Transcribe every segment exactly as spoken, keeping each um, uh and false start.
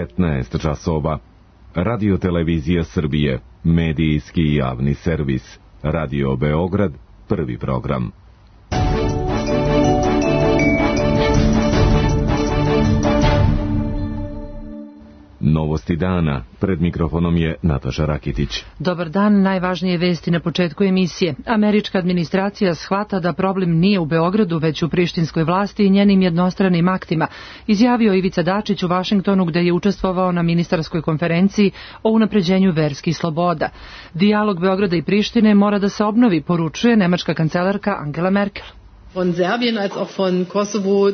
petnaest časova. Radio Televizija Srbije, medijski javni servis. Radio Beograd, prvi program. Novosti dana. Pred mikrofonom je Nataša Rakitić. Dobar dan, najvažnije vesti na početku emisije. Američka administracija shvata da problem nije u Beogradu, već u prištinskoj vlasti i njenim jednostranim aktima, izjavio Ivica Dačić u Vašingtonu, gde je učestvovao na ministarskoj konferenciji o unapređenju verskih sloboda. Dijalog Beograda i Prištine mora da se obnovi, poručuje nemačka kancelarka Angela Merkel.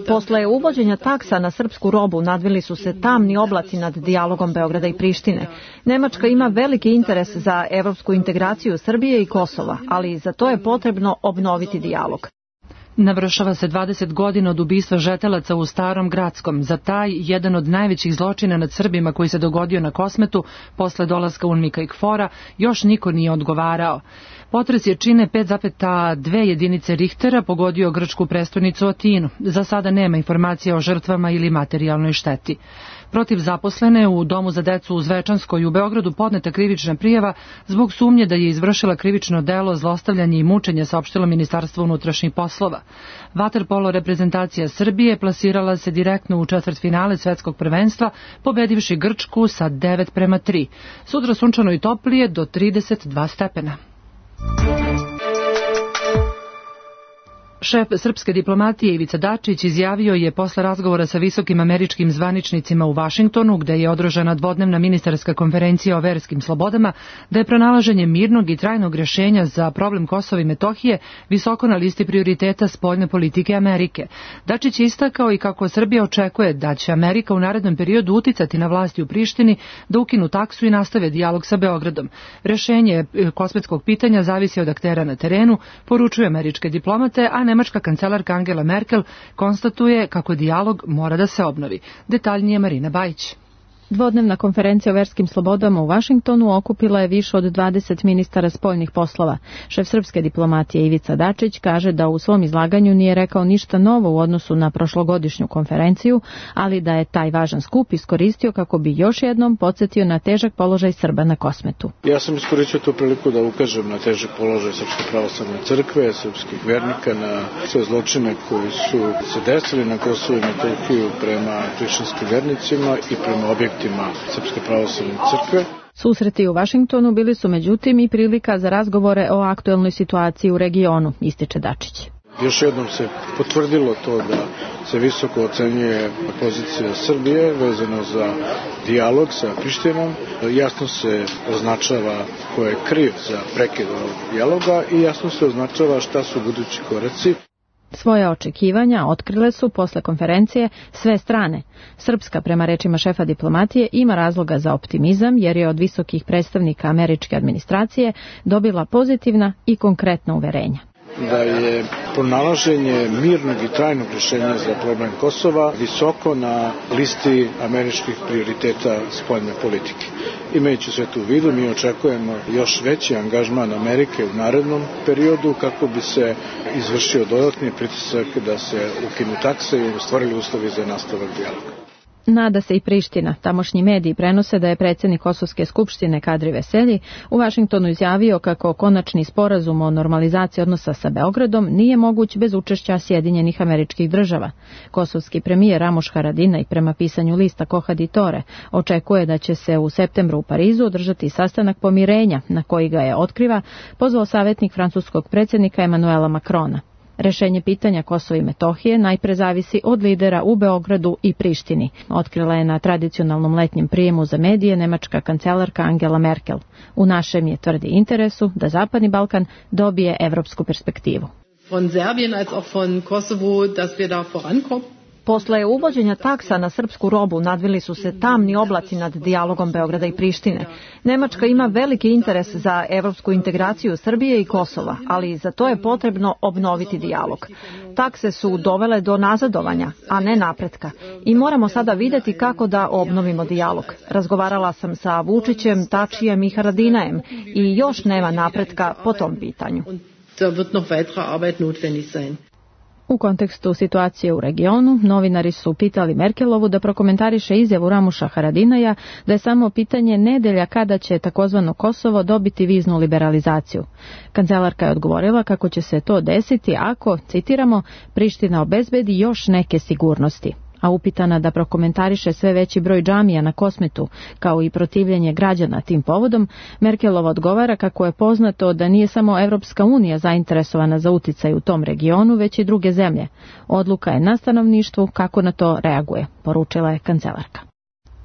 Posle uvođenja taksa na srpsku robu nadvili su se tamni oblaci nad dijalogom Beograda i Prištine. Nemačka ima veliki interes za evropsku integraciju Srbije i Kosova, ali za to je potrebno obnoviti dijalog. Navršava se dvadeset godina od ubistva žetelaca u Starom Gradskom. Za taj, jedan od najvećih zločina nad Srbima koji se dogodio na Kosmetu posle dolaska UNMIK-a i KFOR-a, još niko nije odgovarao. Potres je čine pet zarez dve jedinice Richtera pogodio grčku prestonicu Atinu. Za sada nema informacija o žrtvama ili materijalnoj šteti. Protiv zaposlene u Domu za decu u Zvečanskoj u Beogradu podneta krivična prijava zbog sumnje da je izvršila krivično delo zlostavljanje i mučenje, saopštilo Ministarstvo unutrašnjih poslova. Vaterpolo reprezentacija Srbije plasirala se direktno u četvrtfinale svetskog prvenstva, pobedivši Grčku sa devet prema tri. Sutra sunčano i toplije do trideset dva stepena. Šef srpske diplomatije Ivica Dačić izjavio je posle razgovora sa visokim američkim zvaničnicima u Vašingtonu, gde je održana dvodnevna ministarska konferencija o verskim slobodama, da je pronalaženje mirnog i trajnog rješenja za problem Kosova i Metohije visoko na listi prioriteta spoljne politike Amerike. Dačić je istakao i kako Srbija očekuje da će Amerika u narednom periodu uticati na vlasti u Prištini da ukinu taksu i nastave dijalog sa Beogradom. Rješenje kosmetskog pitanja zavisi od aktera na terenu, poručuju američke diplomate, a nemačka kancelarka Angela Merkel konstatuje kako dijalog mora da se obnovi. Detaljnije Marina Bajić. Dvodnevna konferencija o verskim slobodama u Vašingtonu okupila je više od dvadeset ministara spoljnih poslova. Šef srpske diplomatije Ivica Dačić kaže da u svom izlaganju nije rekao ništa novo u odnosu na prošlogodišnju konferenciju, ali da je taj važan skup iskoristio kako bi još jednom podsjetio na težak položaj Srba na Kosmetu. Ja sam iskoristio tu priliku da ukažem na težak položaj Srpske pravoslavne crkve, srpskih vernika, na sve zločine koji su se desili na Kosovu i Metohiju prema prištinskim vernicima i prema objektima Srpske pravoslavne crkve. Susreti u Vašingtonu bili su međutim i prilika za razgovore o aktuelnoj situaciji u regionu, ističe Dačić. Još jednom se potvrdilo to da se visoko ocenjuje pozicija Srbije vezano za dijalog sa Prištinom. Jasno se označava ko je kriv za prekid ovog dijaloga i jasno se označava šta su budući koraci. Svoje očekivanja otkrile su posle konferencije sve strane. Srpska, prema rečima šefa diplomatije, ima razloga za optimizam jer je od visokih predstavnika američke administracije dobila pozitivna i konkretna uverenja. Da je pronalaženje mirnog i trajnog rješenja za problem Kosova visoko na listi američkih prioriteta spoljne politike. Imajući sve to u vidu, mi očekujemo još veći angažman Amerike u narednom periodu kako bi se izvršio dodatni pritisak da se ukinu takse i stvorili uslovi za nastavak dijaloga. Nada se i Priština. Tamošnji mediji prenose da je predsjednik Kosovske skupštine Kadri Veselji u Vašingtonu izjavio kako konačni sporazum o normalizaciji odnosa sa Beogradom nije moguć bez učešća Sjedinjenih Američkih Država. Kosovski premijer Ramuš Haradinaj, prema pisanju lista Koha di Tore, očekuje da će se u septembru u Parizu održati sastanak pomirenja, na koji ga je, otkriva, pozvao savjetnik francuskog predsjednika Emanuela Macrona. Rešenje pitanja Kosova i Metohije najpre zavisi od lidera u Beogradu i Prištini, otkrila je na tradicionalnom letnjem prijemu za medije nemačka kancelarka Angela Merkel. U našem je, tvrdi, interesu da Zapadni Balkan dobije evropsku perspektivu. Von Serbien als auch von Kosovo, dass wir da vorankommen. Posle uvođenja taksa na srpsku robu nadvili su se tamni oblaci nad dijalogom Beograda i Prištine. Nemačka ima veliki interes za evropsku integraciju Srbije i Kosova, ali za to je potrebno obnoviti dijalog. Takse su dovele do nazadovanja, a ne napretka. I moramo sada vidjeti kako da obnovimo dijalog. Razgovarala sam sa Vučićem, Tačijem i Haradinajem i još nema napretka po tom pitanju. Da wird noch weitere Arbeit notwendig sein. U kontekstu situacije u regionu, novinari su pitali Merkelovu da prokomentariše izjavu Ramuša Haradinaja da je samo pitanje nedelja kada će takozvano Kosovo dobiti viznu liberalizaciju. Kancelarka je odgovorila kako će se to desiti ako, citiramo, Priština obezbedi još neke sigurnosti. A upitana da prokomentariše sve veći broj džamija na Kosmetu, kao i protivljenje građana tim povodom, Merkelova odgovara kako je poznato da nije samo Evropska unija zainteresovana za uticaj u tom regionu, već i druge zemlje. Odluka je na stanovništvu kako na to reaguje, poručila je kancelarka.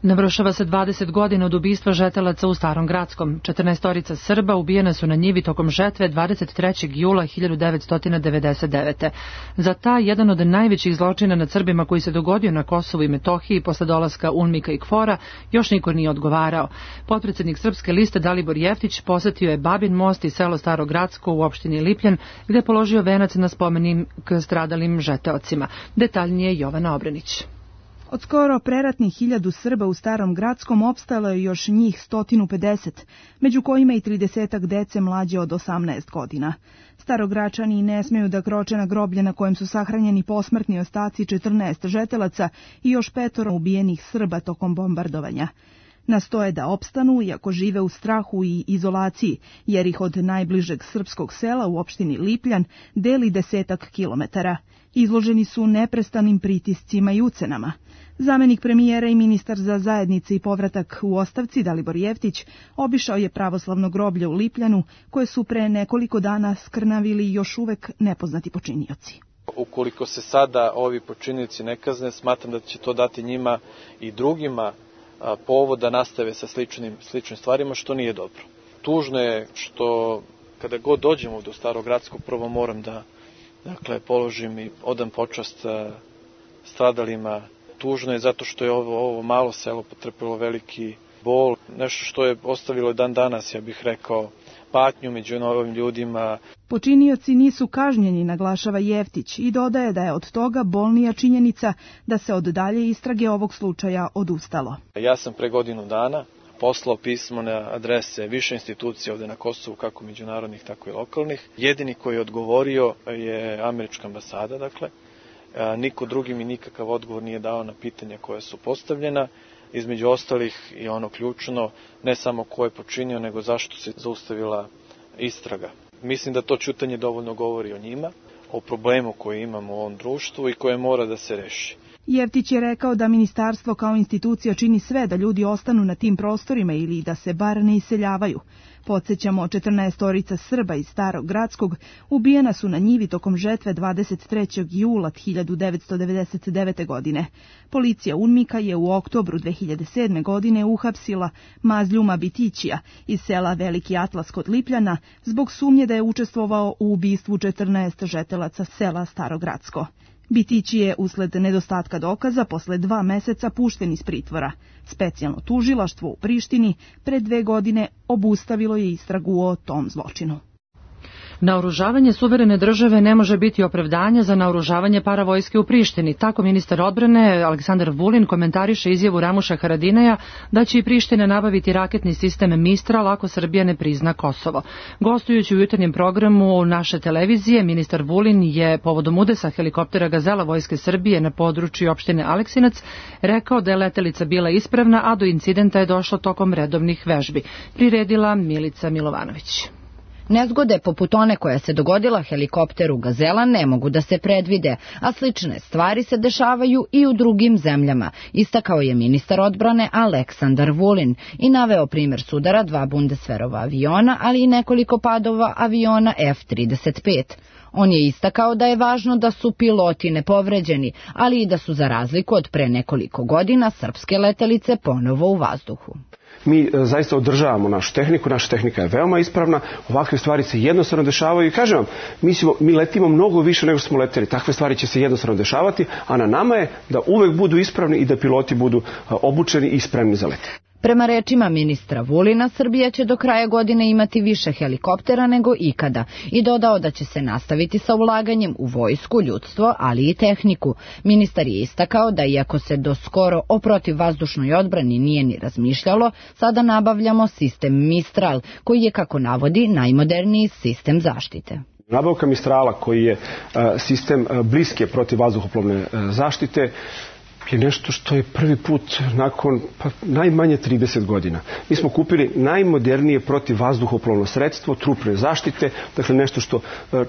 Navršava se dvadeset godina od ubistva žetelaca u Starom Gradskom. četrnaestorica Srba ubijena su na njivi tokom žetve dvadeset trećeg jula hiljadu devetsto devedeset devete. Za taj jedan od najvećih zločina nad Srbima koji se dogodio na Kosovu i Metohiji posle dolaska UNMIK-a i KFOR-a još niko nije odgovarao. Potpredsjednik Srpske liste Dalibor Jeftić posetio je Babin most i selo Staro Gradsko u opštini Lipljan, gde je položio venac na spomenik stradalim žeteocima. Detaljnije Jovana Obrenić. Od skoro preratnih hiljadu Srba u Starom Gradskom opstalo je još njih sto pedeset, među kojima i tridesetak dece mlađe od osamnaest godina. Starogračani ne smeju da kroče na groblje na kojem su sahranjeni posmrtni ostaci četrnaest žetelaca i još petoro ubijenih Srba tokom bombardovanja. Nastoje da opstanu, iako žive u strahu i izolaciji, jer ih od najbližeg srpskog sela u opštini Lipljan deli desetak kilometara. Izloženi su neprestanim pritiscima i ucenama. Zamenik premijera i ministar za zajednice i povratak u ostavci Dalibor Jeftić obišao je pravoslavno groblje u Lipljanu, koje su pre nekoliko dana skrnavili još uvek nepoznati počinioci. Ukoliko se sada ovi počinioci ne kazne, smatram da će to dati njima i drugima povod da nastave sa sličnim, sličnim stvarima, što nije dobro. Tužno je što kada god dođemo do Starogradskog, prvo moram da dakle, položim i odam počast stradalima. Tužno je zato što je ovo, ovo malo selo potrpilo veliki bol, nešto što je ostavilo dan danas, ja bih rekao, patnju među novim ljudima. Počinioci nisu kažnjeni, naglašava Jeftić, i dodaje da je od toga bolnija činjenica da se od dalje istrage ovog slučaja odustalo. Ja sam pre godinu dana poslao pismo na adrese više institucija ovde na Kosovu, kako međunarodnih, tako i lokalnih. Jedini koji je odgovorio je američka ambasada, dakle. Niko drugi mi nikakav odgovor nije dao na pitanja koja su postavljena. Između ostalih i ono ključno, ne samo ko je počinio, nego zašto se zaustavila istraga. Mislim da to ćutanje dovoljno govori o njima, o problemu koji imamo u ovom društvu i koje mora da se reši. Jeftić je rekao da ministarstvo kao institucija čini sve da ljudi ostanu na tim prostorima ili da se bar ne iseljavaju. Podsjećamo, četrnaestorica Srba iz Starog Gradskog ubijena su na njivi tokom žetve dvadeset trećeg jula hiljadu devetsto devedeset devete. godine. Policija UNMIK-a je u oktobru dve hiljade sedme. godine uhapsila Mazljuma Bitićija iz sela Veliki Atlas kod Lipljana zbog sumnje da je učestvovao u ubistvu četrnaest žetelaca sela Staro Gradsko. Bitići je usled nedostatka dokaza posle dva meseca pušten iz pritvora. Specijalno tužilaštvo u Prištini pred dve godine obustavilo je istragu o tom zločinu. Naoružavanje suverene države ne može biti opravdanje za naoružavanje paravojske u Prištini. Tako ministar odbrane Aleksandar Vulin komentariše izjavu Ramuša Haradinaja da će i Priština nabaviti raketni sistem Mistral ako Srbija ne prizna Kosovo. Gostujući u jutarnjem programu naše televizije, ministar Vulin je povodom udesa helikoptera Gazela Vojske Srbije na području opštine Aleksinac rekao da je letelica bila ispravna, a do incidenta je došlo tokom redovnih vežbi. Priredila Milica Milovanović. Nezgode poput one koja se dogodila helikopteru Gazela ne mogu da se predvide, a slične stvari se dešavaju i u drugim zemljama, istakao je ministar odbrane Aleksandar Vulin i naveo primjer sudara dva Bundeswehrova aviona, ali i nekoliko padova aviona F trideset pet. On je istakao da je važno da su piloti nepovređeni, ali i da su za razliku od pre nekoliko godina srpske letelice ponovo u vazduhu. Mi zaista održavamo našu tehniku, naša tehnika je veoma ispravna, ovakve stvari se jednostavno dešavaju i kažem vam, mi, smo, mi letimo mnogo više nego što smo leteli, takve stvari će se jednostavno dešavati, a na nama je da uvek budu ispravni i da piloti budu obučeni i spremni za let. Prema rečima ministra Vulina, Srbija će do kraja godine imati više helikoptera nego ikada i dodao da će se nastaviti sa ulaganjem u vojsku, ljudstvo, ali i tehniku. Ministar je istakao da iako se do skoro o protivvazdušnoj odbrani nije ni razmišljalo, sada nabavljamo sistem Mistral, koji je, kako navodi, najmoderniji sistem zaštite. Nabavka Mistrala, koji je sistem bliske protivvazduhoplovne zaštite, je nešto što je prvi put nakon pa, najmanje trideset godina. Mi smo kupili najmodernije protivvazduhoplovno sredstvo, trupne zaštite, dakle nešto što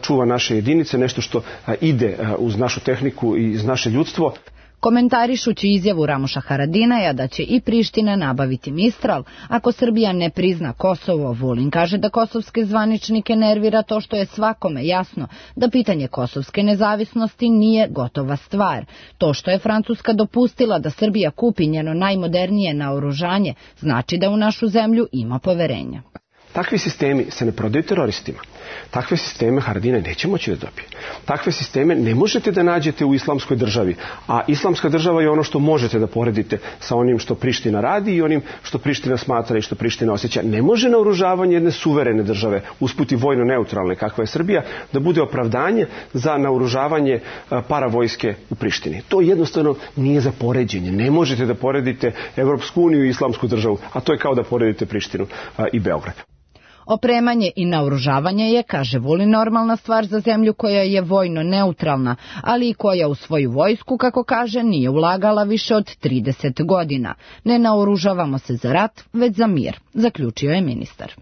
čuva naše jedinice, nešto što ide uz našu tehniku i uz naše ljudstvo. Komentarišući izjavu Ramuša Haradinaja da će i Priština nabaviti Mistral, ako Srbija ne prizna Kosovo, Vulin kaže da kosovske zvaničnike nervira to što je svakome jasno da pitanje kosovske nezavisnosti nije gotova stvar. To što je Francuska dopustila da Srbija kupi njeno najmodernije naoružanje znači da u našu zemlju ima poverenja. Takvi sistemi se ne prodaju teroristima. Takve sisteme Haradinaj neće moći da dobije. Takve sisteme ne možete da nađete u islamskoj državi, a islamska država je ono što možete da poredite sa onim što Priština radi i onim što Priština smatra i što Priština osjeća. Ne može naoružavanje jedne suverene države, usput i vojno neutralne kakva je Srbija, da bude opravdanje za naoružavanje paravojske u Prištini. To jednostavno nije za poređenje. Ne možete da poredite Evropsku uniju i islamsku državu, a to je kao da poredite Prištinu i Beograd. Opremanje i naoružavanje je, kaže Vulin, normalna stvar za zemlju koja je vojno neutralna, ali i koja u svoju vojsku, kako kaže, nije ulagala više od trideset godina. Ne naoružavamo se za rat, već za mir, zaključio je ministar.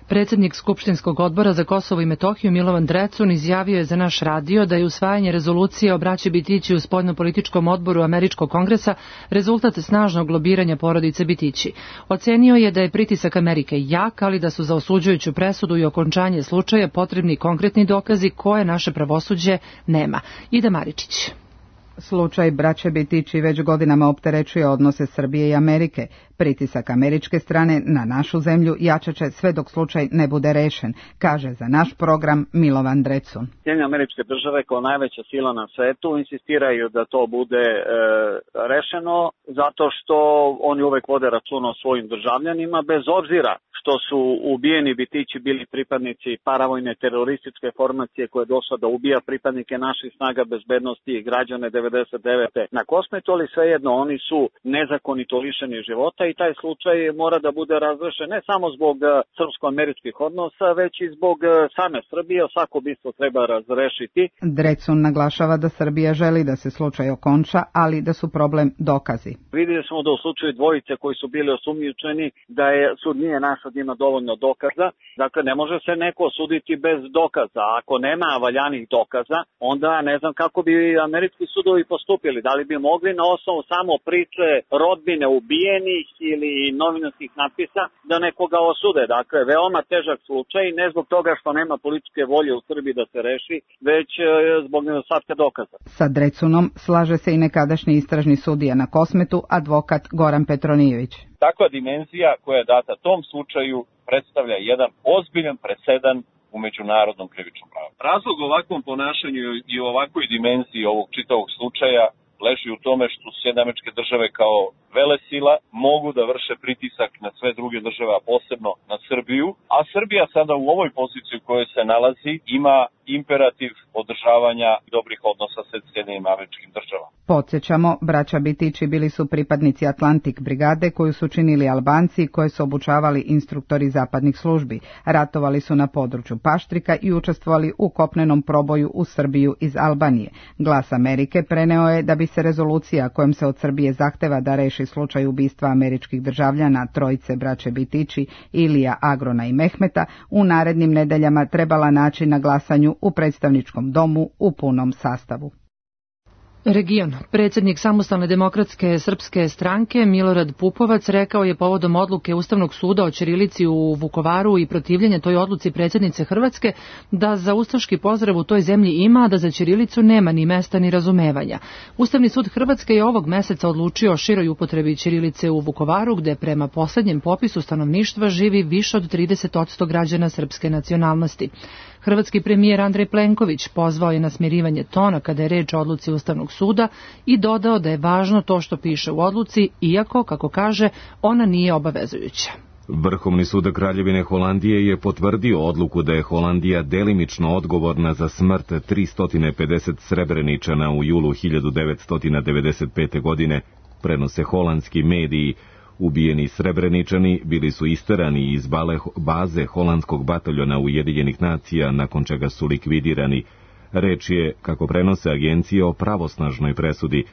Predsjednik Skupštinskog odbora za Kosovo i Metohiju Milovan Drecun izjavio je za naš radio da je usvajanje rezolucije o braći Bitići u spoljnopolitičkom odboru Američkog kongresa rezultat snažnog lobiranja porodice Bitići. Ocenio je da je pritisak Amerike jak, ali da su za osuđujuću presudu i okončanje slučaja potrebni konkretni dokazi koje naše pravosuđe nema. Ida Maričić. Slučaj braće Bitići već godinama opterećuje odnose Srbije i Amerike. Pritisak američke strane na našu zemlju jačaće sve dok slučaj ne bude rešen, kaže za naš program Milovan Drecun. Sjedinjene Američke Države kao najveća sila na svetu insistiraju da to bude e, rešeno zato što oni uvek vode računa o svojim državljanima bez obzira što su ubijeni Bitići bili pripadnici paravojne terorističke formacije koja je došla da ubija pripadnike naših snaga bezbednosti i građane devedeset devete na Kosmetu, ali svejedno oni su nezakonito lišeni života i taj slučaj mora da bude razrešen ne samo zbog srpsko-američkih odnosa, već i zbog same Srbije. Svako ubistvo treba razrešiti. Drecun naglašava da Srbija želi da se slučaj okonča, ali da su problem dokazi. Vidjeli smo da u slučaju dvojice koji su bili osumnjičeni da je sud nije našao da ima dovoljno dokaza. Dakle, ne može se neko osuditi bez dokaza. Ako nema valjanih dokaza, onda ne znam kako bi američki sudovi postupili. Da li bi mogli na osnovu samo priče rodbine ubijenih ili novinarskih natpisa da nekoga osude. Dakle, veoma težak slučaj, ne zbog toga što nema političke volje u Srbiji da se reši, već zbog nedostatka dokaza. Sa Drecunom slaže se i nekadašnji istražni sudija na Kosmetu, advokat Goran Petronijević. Takva dimenzija koja je data tom slučaju predstavlja jedan ozbiljan presedan u međunarodnom krivičnom pravu. Razlog ovakvom ponašanju i ovakvoj dimenziji ovog čitavog slučaja leži u tome što Sjedinjene Američke Države kao velesila mogu da vrše pritisak na sve druge države, a posebno na Srbiju, a Srbija sada u ovoj poziciji u kojoj se nalazi ima imperativ održavanja dobrih odnosa sa Sjedinjenim Američkim Državama. Podsjećamo, braća Bitići bili su pripadnici Atlantik brigade koju su činili Albanci koje su obučavali instruktori zapadnih službi. Ratovali su na području Paštrika i učestvovali u kopnenom proboju u Srbiju iz Albanije. Glas Amerike preneo je da bi se rezolucija kojom se od Srbije zahteva da reši slučaj ubistva američkih državljana trojice braće Bitići, Ilija, Agrona i Mehmeta, u narednim nedeljama trebala naći na glasanju u predstavničkom domu u punom sastavu. Region. Predsjednik Samostalne demokratske srpske stranke Milorad Pupovac rekao je povodom odluke Ustavnog suda o ćirilici u Vukovaru i protivljenje toj odluci predsjednice Hrvatske da za ustaški pozdrav u toj zemlji ima, a da za ćirilicu nema ni mesta ni razumevanja. Ustavni sud Hrvatske je ovog meseca odlučio o široj upotrebi ćirilice u Vukovaru, gde prema posljednjem popisu stanovništva živi više od trideset posto građana srpske nacionalnosti. Hrvatski premijer Andrej Plenković pozvao je na smirivanje tona kada je reč o odluci Ustavnog suda i dodao da je važno to što piše u odluci, iako, kako kaže, ona nije obavezujuća. Vrhovni sud Kraljevine Holandije je potvrdio odluku da je Holandija delimično odgovorna za smrt tristo pedeset Srebreničana u julu hiljadu devetsto devedeset pete. godine, prenose holandski mediji. Ubijeni Srebreničani bili su isterani iz baze holandskog bataljona Ujedinjenih nacija, nakon čega su likvidirani. Reč je, kako prenose agencije, o pravosnažnoj presudi.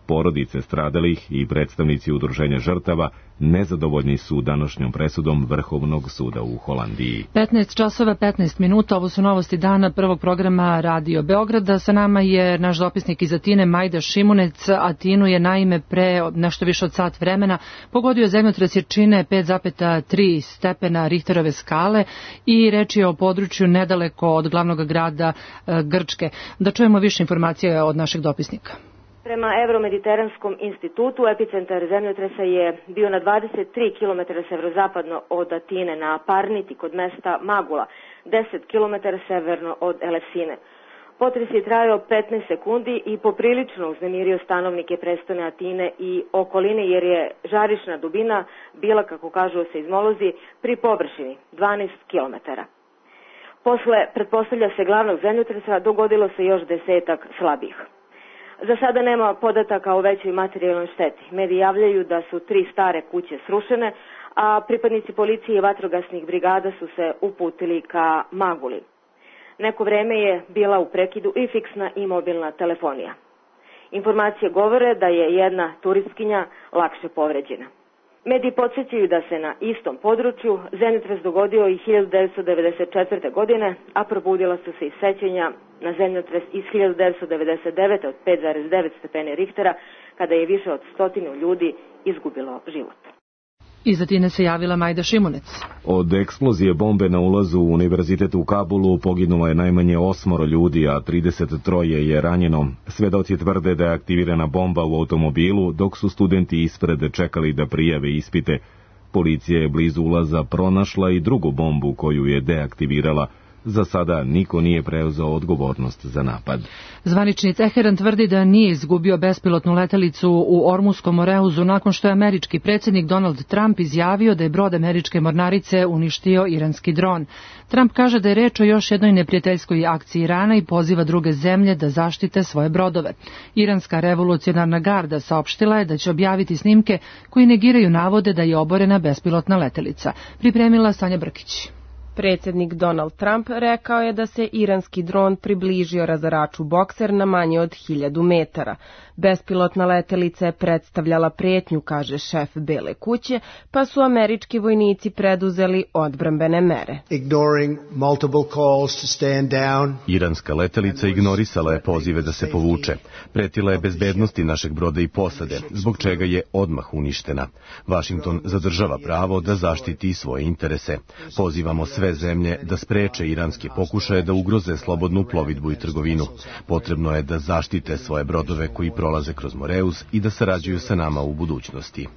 Porodice stradalih i predstavnici udruženja žrtava nezadovoljni su današnjom presudom Vrhovnog suda u Holandiji. petnaest časova petnaest minuta, ovo su novosti dana prvog programa Radio Beograda. Sa nama je naš dopisnik iz Atine, Majda Šimunec. Atinu je naime pre nešto više od sat vremena pogodio zemljotres jačine pet zarez tri stepena Richterove skale i reč je o području nedaleko od glavnog grada Grčke. Da čujemo više informacija od našeg dopisnika. Prema Evromediteranskom institutu, epicentar zemljotresa je bio na dvadeset tri kilometara severozapadno od Atine na Parniti kod mesta Magula, deset kilometara severno od Elefsine. Potres je trajao petnaest sekundi i poprilično uznemirio stanovnike prestone Atine i okoline, jer je žarišna dubina bila, kako kažu seizmolozi, pri površini dvanaest kilometara. Posle, pretpostavlja se, glavnog zemljotresa dogodilo se još desetak slabih. Za sada nema podataka o većoj materijalnoj šteti. Mediji javljaju da su tri stare kuće srušene, a pripadnici policije i vatrogasnih brigada su se uputili ka Maguli. Neko vreme je bila u prekidu i fiksna i mobilna telefonija. Informacije govore da je jedna turistkinja lakše povređena. Mediji podsjećaju da se na istom području zemljotres dogodio i hiljadu devetsto devedeset četvrte. godine, a probudila su se i sećanja na zemljotres iz hiljadu devetsto devedeset devete. od pet zarez devet stepeni Richtera, kada je više od stotinu ljudi izgubilo život. Iz Atine se javila Majda Šimunec. Od eksplozije bombe na ulazu u univerzitet u Kabulu poginulo je najmanje osmoro ljudi, a trideset troje je ranjeno. Svedoci tvrde da je aktivirana bomba u automobilu, dok su studenti ispred čekali da prijave ispite. Policija je blizu ulaza pronašla i drugu bombu koju je deaktivirala. Za sada niko nije preuzeo odgovornost za napad. Zvanični Teheran tvrdi da nije izgubio bespilotnu letelicu u Ormuskom Moreuzu nakon što je američki predsjednik Donald Trump izjavio da je brod američke mornarice uništio iranski dron. Trump kaže da je reč o još jednoj neprijateljskoj akciji Irana i poziva druge zemlje da zaštite svoje brodove. Iranska revolucionarna garda saopštila je da će objaviti snimke koji negiraju navode da je oborena bespilotna letelica. Pripremila Sanja Brkić. Predsjednik Donald Trump rekao je da se iranski dron približio razaraču Bokser na manje od hiljadu metara. Bespilotna letelica je predstavljala prijetnju, kaže šef Bele kuće, pa su američki vojnici preduzeli odbrambene mere. Iranska letelica ignorisala je pozive da se povuče. Pretila je bezbednosti našeg broda i posade, zbog čega je odmah uništena. Washington zadržava pravo da zaštiti svoje interese. Pozivamo sve zemlje da spreče iranske pokušaje da ugroze slobodnu plovidbu i trgovinu. Potrebno je da zaštite svoje brodove koji prolaze kroz Moreus i da sarađuju sa nama u budućnosti.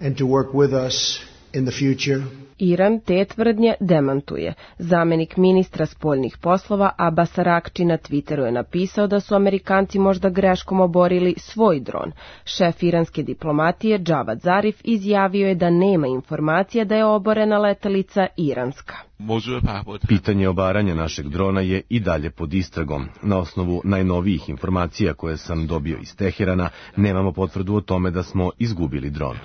Iran te tvrdnje demantuje. Zamenik ministra spoljnih poslova Abbas Arakči na Twitteru je napisao da su Amerikanci možda greškom oborili svoj dron. Šef iranske diplomatije Javad Zarif izjavio je da nema informacija da je oborena letelica iranska. Pitanje obaranja našeg drona je i dalje pod istragom. Na osnovu najnovijih informacija koje sam dobio iz Teherana, nemamo potvrdu o tome da smo izgubili dron.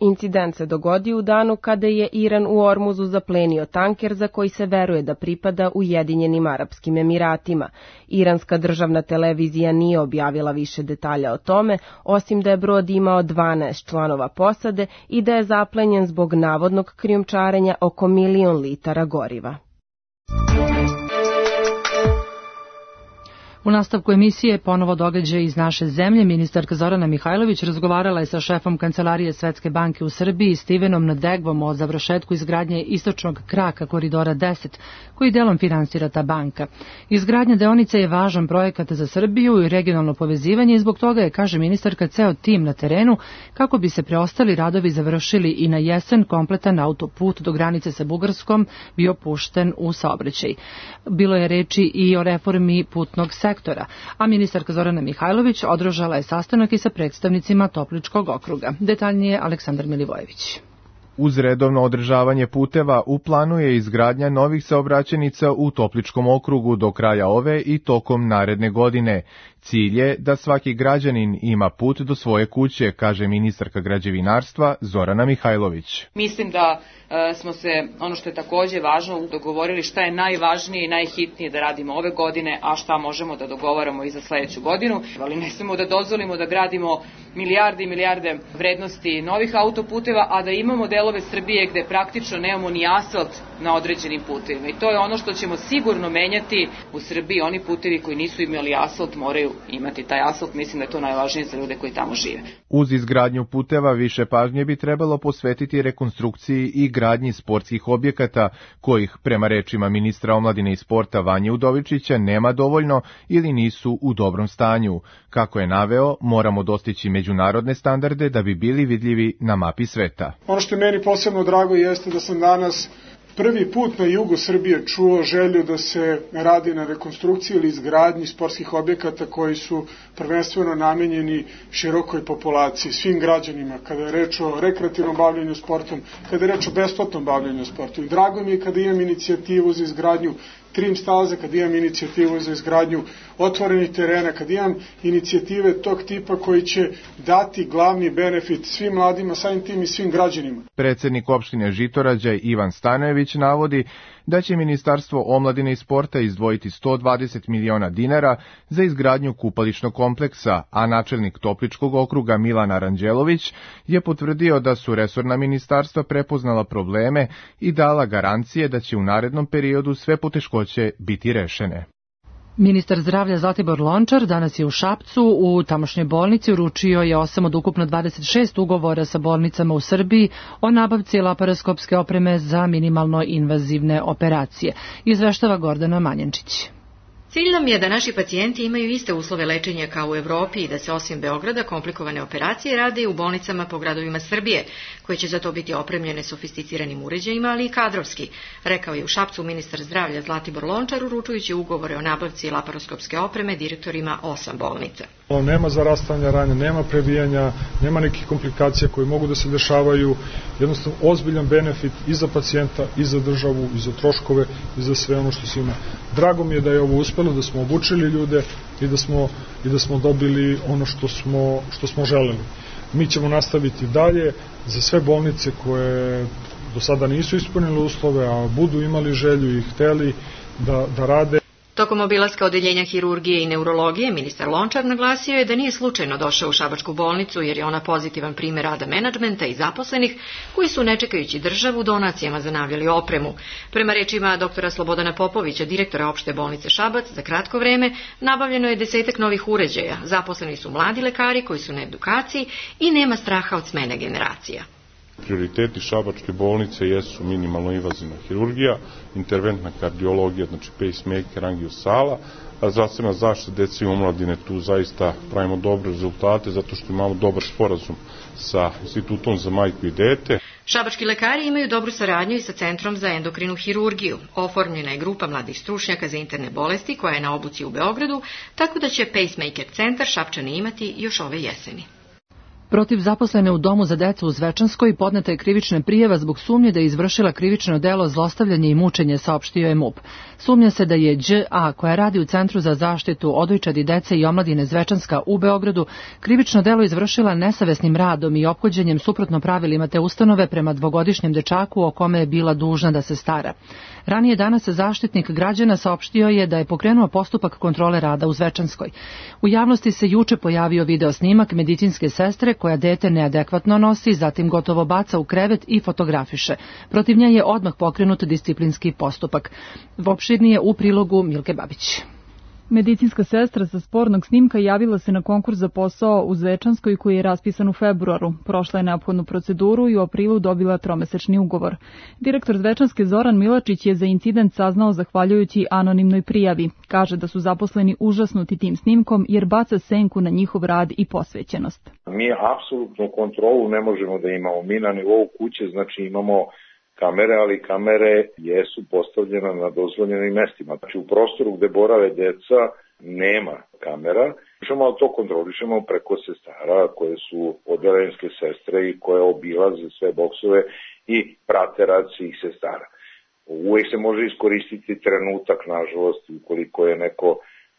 Incident se dogodio u danu kada je Iran u Ormuzu zaplenio tanker za koji se veruje da pripada Ujedinjenim Arapskim Emiratima. Iranska državna televizija nije objavila više detalja o tome, osim da je brod imao dvanaest članova posade i da je zaplenjen zbog navodnog krijumčarenja oko milion litara goriva. U nastavku emisije ponovo događaj iz naše zemlje. Ministarka Zorana Mihajlović razgovarala je sa šefom Kancelarije Svetske banke u Srbiji Stevenom Nadegvom o završetku izgradnje istočnog kraka koridora deset, koji delom finansira ta banka. Izgradnja deonice je važan projekat za Srbiju i regionalno povezivanje i zbog toga je, kaže ministarka, ceo tim na terenu kako bi se preostali radovi završili i na jesen kompletan autoput do granice sa Bugarskom bio pušten u saobraćaj. Bilo je reči i o reformi putnog sektora. sektora, a ministarka Zorana Mihajlović održala je sastanak i sa predstavnicima Topličkog okruga. Detaljnije Aleksandar Milivojević. Uz redovno održavanje puteva u planu je izgradnja novih saobraćajnica u Topličkom okrugu do kraja ove i tokom naredne godine. Cilj je da svaki građanin ima put do svoje kuće, kaže ministarka građevinarstva Zorana Mihajlović. Mislim da e, smo se, ono što je takođe važno, dogovorili šta je najvažnije i najhitnije da radimo ove godine, a šta možemo da dogovaramo i za sledeću godinu. Ali ne smemo da dozvolimo da gradimo milijarde i milijarde vrednosti novih autoputeva, a da imamo delove Srbije gde praktično nemamo ni asfalt na određenim putevima. I to je ono što ćemo sigurno menjati u Srbiji. Oni putevi koji nisu imali asfalt moraju imati taj asfalt. Mislim da je to najvažnije za ljude koji tamo žive. Uz izgradnju puteva više pažnje bi trebalo posvetiti rekonstrukciji i gradnji sportskih objekata, kojih, prema rečima ministra omladine i sporta Vanje Udovičića, nema dovoljno ili nisu u dobrom stanju. Kako je naveo, moramo dostići međunarodne standarde da bi bili vidljivi na mapi sveta. Ono što je meni posebno drago jeste da sam danas prvi put na jugu Srbije čuo želju da se radi na rekonstrukciji ili izgradnji sportskih objekata koji su prvenstveno namenjeni širokoj populaciji, svim građanima, kada je reč o rekreativnom bavljenju sportom, kada je reč o besplatnom bavljenju sportom. I drago mi je kada imam inicijativu za izgradnju trim staze, kad imam inicijativu za izgradnju otvorenih terena, kad imam inicijative tog tipa koji će dati glavni benefit svim mladima, samim tim i svim građanima. Predsednik opštine Žitorađa Ivan Stanojević navodi da će Ministarstvo omladine i sporta izdvojiti sto dvadeset miliona dinara za izgradnju kupališnog kompleksa, a načelnik Topličkog okruga Milan Aranđelović je potvrdio da su resorna ministarstva prepoznala probleme i dala garancije da će u narednom periodu sve poteškoće biti rešene. Ministar zdravlja Zlatibor Lončar danas je u Šapcu u tamošnjoj bolnici uručio je osam od ukupno dvadeset šest ugovora sa bolnicama u Srbiji o nabavci laparoskopske opreme za minimalno invazivne operacije. Izveštava Gordana Manjančić. Cilj nam je da naši pacijenti imaju iste uslove lečenja kao u Evropi i da se osim Beograda komplikovane operacije rade i u bolnicama po gradovima Srbije, koje će za to biti opremljene sofisticiranim uređajima, ali i kadrovski, rekao je u Šapcu ministar zdravlja Zlatibor Lončar uručujući ugovore o nabavci laparoskopske opreme direktorima osam bolnica. Nema zarastanja rane, nema prebijanja, nema nekih komplikacija koje mogu da se dešavaju, jednostavno ozbiljan benefit i za pacijenta, i za državu, i za troškove, i za sve ono što se ima. Drago mi je da je ovo uspelo, da smo obučili ljude i da smo, i da smo dobili ono što smo, što smo želeli. Mi ćemo nastaviti dalje za sve bolnice koje do sada nisu ispunile uslove, a budu imali želju i hteli da, da rade. Tokom obilaska odeljenja hirurgije i neurologije, ministar Lončar naglasio je da nije slučajno došao u Šabačku bolnicu jer je ona pozitivan primer rada menadžmenta i zaposlenih koji su ne čekajući državu donacijama zanavljali opremu. Prema rečima doktora Slobodana Popovića, direktora opšte bolnice Šabac, za kratko vreme nabavljeno je desetak novih uređaja, zaposleni su mladi lekari koji su na edukaciji i nema straha od smene generacija. Prioriteti Šabačke bolnice jesu minimalno invazivna hirurgija, interventna kardiologija, znači pacemaker, angiosala, a zdravstvena zaštita dece i omladine, tu zaista pravimo dobre rezultate zato što imamo dobar sporazum sa Institutom za majku i dete. Šabački lekari imaju dobru saradnju i sa Centrom za endokrinu hirurgiju. Oformljena je grupa mladih stručnjaka za interne bolesti koja je na obuci u Beogradu, tako da će pacemaker centar Šapčani imati još ove jeseni. Protiv zaposlene u domu za decu u Zvečanskoj podneta je krivična prijava zbog sumnje da je izvršila krivično delo zlostavljanje i mučenje, saopštio je M U P. Sumnja se da je Đ A, koja radi u Centru za zaštitu odojčadi dece i omladine Zvečanska u Beogradu, krivično delo izvršila nesavesnim radom i ophođenjem suprotno pravilima te ustanove prema dvogodišnjem dečaku o kome je bila dužna da se stara. Ranije danas zaštitnik građana saopštio je da je pokrenuo postupak kontrole rada u Zvečanskoj. U javnosti se juče pojavio video snimak medicinske sestre koja dete neadekvatno nosi, zatim gotovo baca u krevet i fotografiše. Protiv nje je odmah pokrenut disciplinski postupak. Opširnije u prilogu Milke Babić. Medicinska sestra sa spornog snimka javila se na konkurs za posao u Zvečanskoj koji je raspisan u februaru. Prošla je neophodnu proceduru i u aprilu dobila tromesečni ugovor. Direktor Zvečanske Zoran Milačić je za incident saznao zahvaljujući anonimnoj prijavi. Kaže da su zaposleni užasnuti tim snimkom jer baca senku na njihov rad i posvećenost. Mi apsolutnu kontrolu ne možemo da imamo. Mi na nivou kuće, znači imamo kamere, ali kamere jesu postavljene na dozvoljenim mestima. Znači u prostoru gde borave deca nema kamera. Ali to kontrolišemo preko sestara koje su odelenske sestre i koje obilaze sve boksove i prate rad svih sestara. Uvijek se može iskoristiti trenutak, nažalost, ukoliko je neko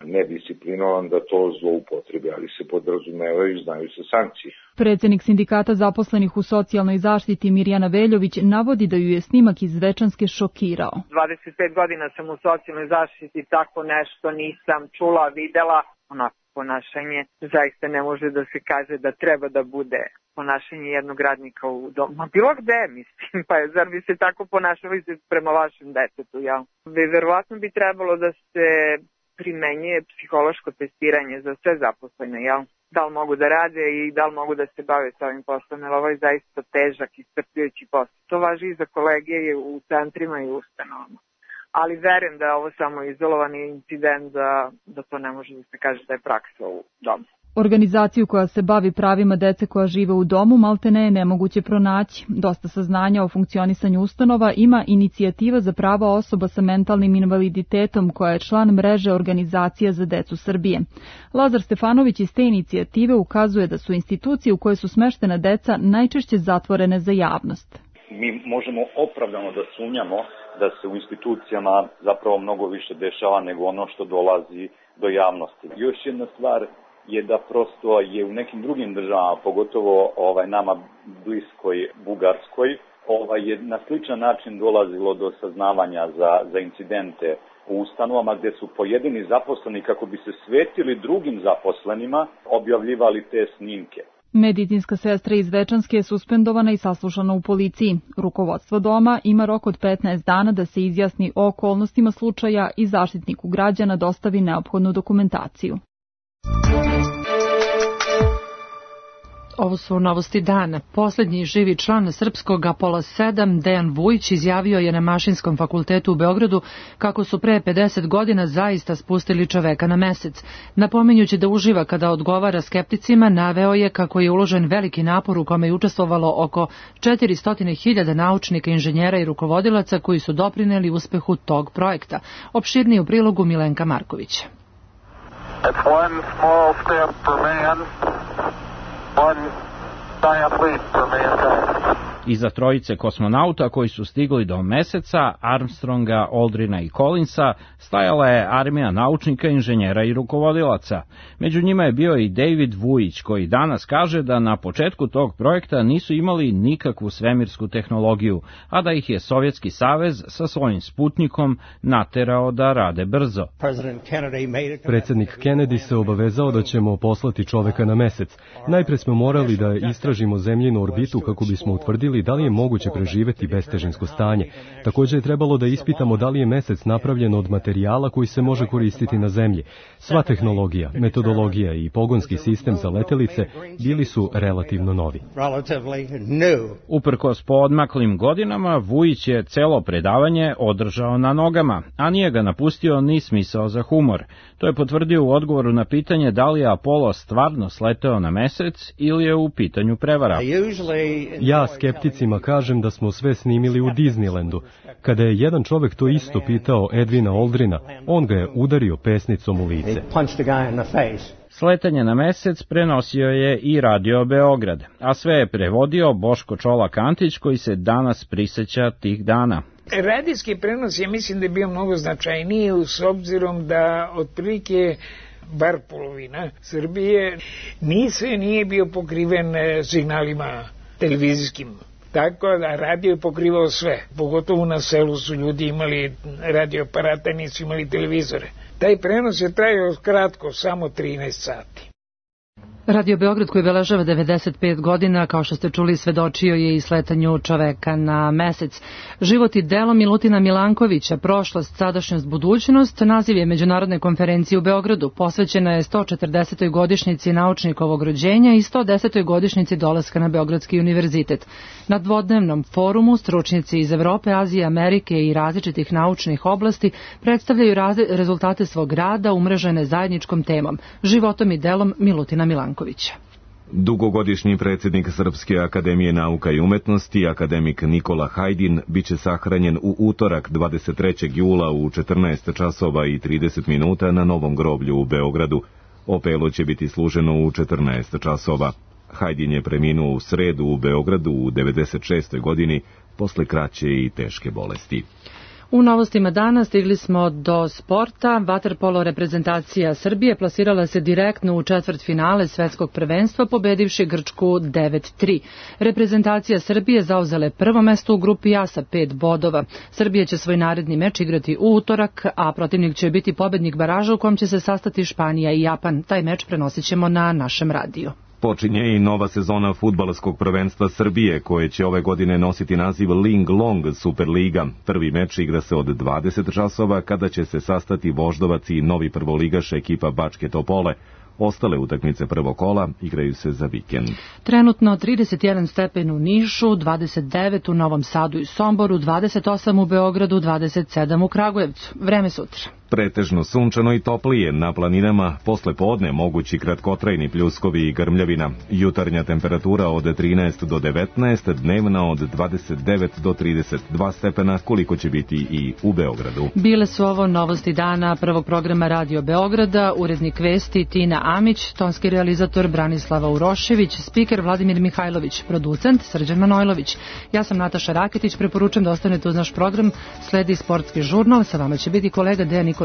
nedisciplinovan da to zloupotrebi, ali se podrazumevaju i znaju se sankcije. Predsednik sindikata zaposlenih u socijalnoj zaštiti Mirjana Veljović navodi da ju je snimak iz Zvečanske šokirao. dvadeset pet godina sam u socijalnoj zaštiti, tako nešto nisam čula, videla. Onako ponašanje zaista ne može da se kaže da treba da bude ponašanje jednog radnika u domu. Ma bilo gde, mislim, pa je, zar bi se tako ponašali prema vašem detetu, jel? Verovatno bi trebalo da se primenjuje psihološko testiranje za sve zaposlene, jel? Da li mogu da rade i da li mogu da se bave sa ovim poslom, jer ovo je zaista težak i iscrpljujući posao. To važi i za kolege u centrima i ustanovama. Ali verujem da je ovo samo izolovani incident, da, da to ne može da se kaže da je praksa u domu. Organizaciju koja se bavi pravima dece koja žive u domu maltene je nemoguće pronaći. Dosta saznanja o funkcionisanju ustanova ima Inicijativa za prava osoba sa mentalnim invaliditetom koja je član mreže Organizacija za decu Srbije. Lazar Stefanović iz te inicijative ukazuje da su institucije u koje su smeštena deca najčešće zatvorene za javnost. Mi možemo opravdano da sumnjamo da se u institucijama zapravo mnogo više dešava nego ono što dolazi do javnosti. Još jedna stvar je da prosto je u nekim drugim državama, pogotovo ovaj nama bliskoj Bugarskoj, ovaj je na sličan način dolazilo do saznavanja za, za incidente u ustanovama gdje su pojedini zaposleni kako bi se svetili drugim zaposlenima objavljivali te snimke. Medicinska sestra iz Zvečanske je suspendovana i saslušana u policiji. Rukovodstvo doma ima rok od petnaest dana da se izjasni o okolnostima slučaja i Zaštitniku građana dostavi neophodnu dokumentaciju. Ovo su novosti dana. Poslednji živi član srpskog Apola sedam, Dejan Vujić, izjavio je na Mašinskom fakultetu u Beogradu kako su pre pedeset godina zaista spustili čoveka na mesec. Napominjući da uživa kada odgovara skepticima, naveo je kako je uložen veliki napor u kome je učestvovalo oko četiristo hiljada naučnika, inženjera i rukovodilaca koji su doprineli uspehu tog projekta. Opširnije u prilogu Milenka Markovića. It's one small step for man, one giant leap for mankind. Iza trojice kosmonauta koji su stigli do meseca, Armstronga, Aldrina i Collinsa, stajala je armija naučnika, inženjera i rukovodilaca. Među njima je bio i David Vujić, koji danas kaže da na početku tog projekta nisu imali nikakvu svemirsku tehnologiju, a da ih je Sovjetski savez sa svojim Sputnikom naterao da rade brzo. Predsednik Kennedy se obavezao da ćemo poslati čoveka na mesec. Najpre smo morali da istražimo zemljinu orbitu kako bismo utvrdili da li je moguće preživeti bestežinsko stanje. Također je trebalo da ispitamo da li je mesec napravljen od materijala koji se može koristiti na zemlji. Sva tehnologija, metodologija i pogonski sistem za letelice bili su relativno novi. Uprkos poodmaklim godinama, Vujić je celo predavanje održao na nogama, a nije ga napustio ni smisao za humor. To je potvrdio u odgovoru na pitanje da li je Apollo stvarno sleteo na mesec ili je u pitanju prevara. Ja skepticima kažem da smo sve snimili u Disneylandu. Kada je jedan čovek to isto pitao Edwina Aldrina, on ga je udario pesnicom u lice. Sletanje na mesec prenosio je i Radio Beograd, a sve je prevodio Boško Čolak Antić, koji se danas priseća tih dana. Radijski prenos, ja mislim da je bio mnogo značajniji, s obzirom da otprilike bar polovina Srbije ni sve nije bio pokriven signalima televizijskim. Tako da radio je pokrivao sve. Pogotovo na selu su ljudi imali radioaparate, nisu imali televizore. Taj prenos je trajao kratko, samo trinaest sati. Radio Beograd, koji beležava devedeset pet godina, kao što ste čuli, svedočio je i sletanju čoveka na mesec. Život i delo Milutina Milankovića, prošlost, sadašnjost, budućnost, naziv je međunarodne konferencije u Beogradu. Posvećena je sto četrdesetoj godišnjici naučnikovog rođenja i sto desetoj godišnjici dolaska na Beogradski univerzitet. Na dvodnevnom forumu stručnjaci iz Evrope, Azije, Amerike i različitih naučnih oblasti predstavljaju rezultate svog rada umrežene zajedničkom temom, životom i delom Milutina Milankovića. Dugogodišnji predsjednik Srpske akademije nauka i umetnosti, akademik Nikola Hajdin, biće sahranjen u utorak dvadeset trećeg jula u četrnaest časova i trideset minuta na Novom groblju u Beogradu. Opelo će biti služeno u četrnaest časova. Hajdin je preminuo u sredu u Beogradu u devedeset šestoj godini posle kraće i teške bolesti. U novostima dana stigli smo do sporta. Vaterpolo reprezentacija Srbije plasirala se direktno u četvrtfinale svetskog prvenstva pobedivši Grčku devet tri. Reprezentacija Srbije zauzela je prvo mesto u grupi A sa pet bodova. Srbija će svoj naredni meč igrati u utorak, a protivnik će biti pobednik baraža u kom će se sastati Španija i Japan. Taj meč prenosit ćemo na našem radiju. Počinje i nova sezona fudbalskog prvenstva Srbije, koje će ove godine nositi naziv Ling Long Superliga. Prvi meč igra se od dvadeset časova, kada će se sastati Voždovac i novi prvoligaš ekipa Bačke Topole. Ostale utakmice prvog kola igraju se za vikend. Trenutno trideset jedan stepen u Nišu, dvadeset devet u Novom Sadu i Somboru, dvadeset osam u Beogradu, dvadeset sedam u Kragujevcu. Vreme sutra. Pretežno sunčano i toplije, na planinama posle podne mogući kratkotrajni pljuskovi i grmljavina. Jutarnja temperatura od trinaest do devetnaest, dnevna od dvadeset devet do trideset dva stepena, koliko će biti i u Beogradu. Bile su ovo novosti dana prvog programa Radio Beograda, urednik vesti Tina Amić, tonski realizator Branislava Urošević, spiker Vladimir Mihajlović, producent Srđan Manojlović. Ja sam Nataša Raketić, preporučujem da ostanete uz naš program, sledi sportski žurnal, sa vama će biti kolega Dejan Nikolić.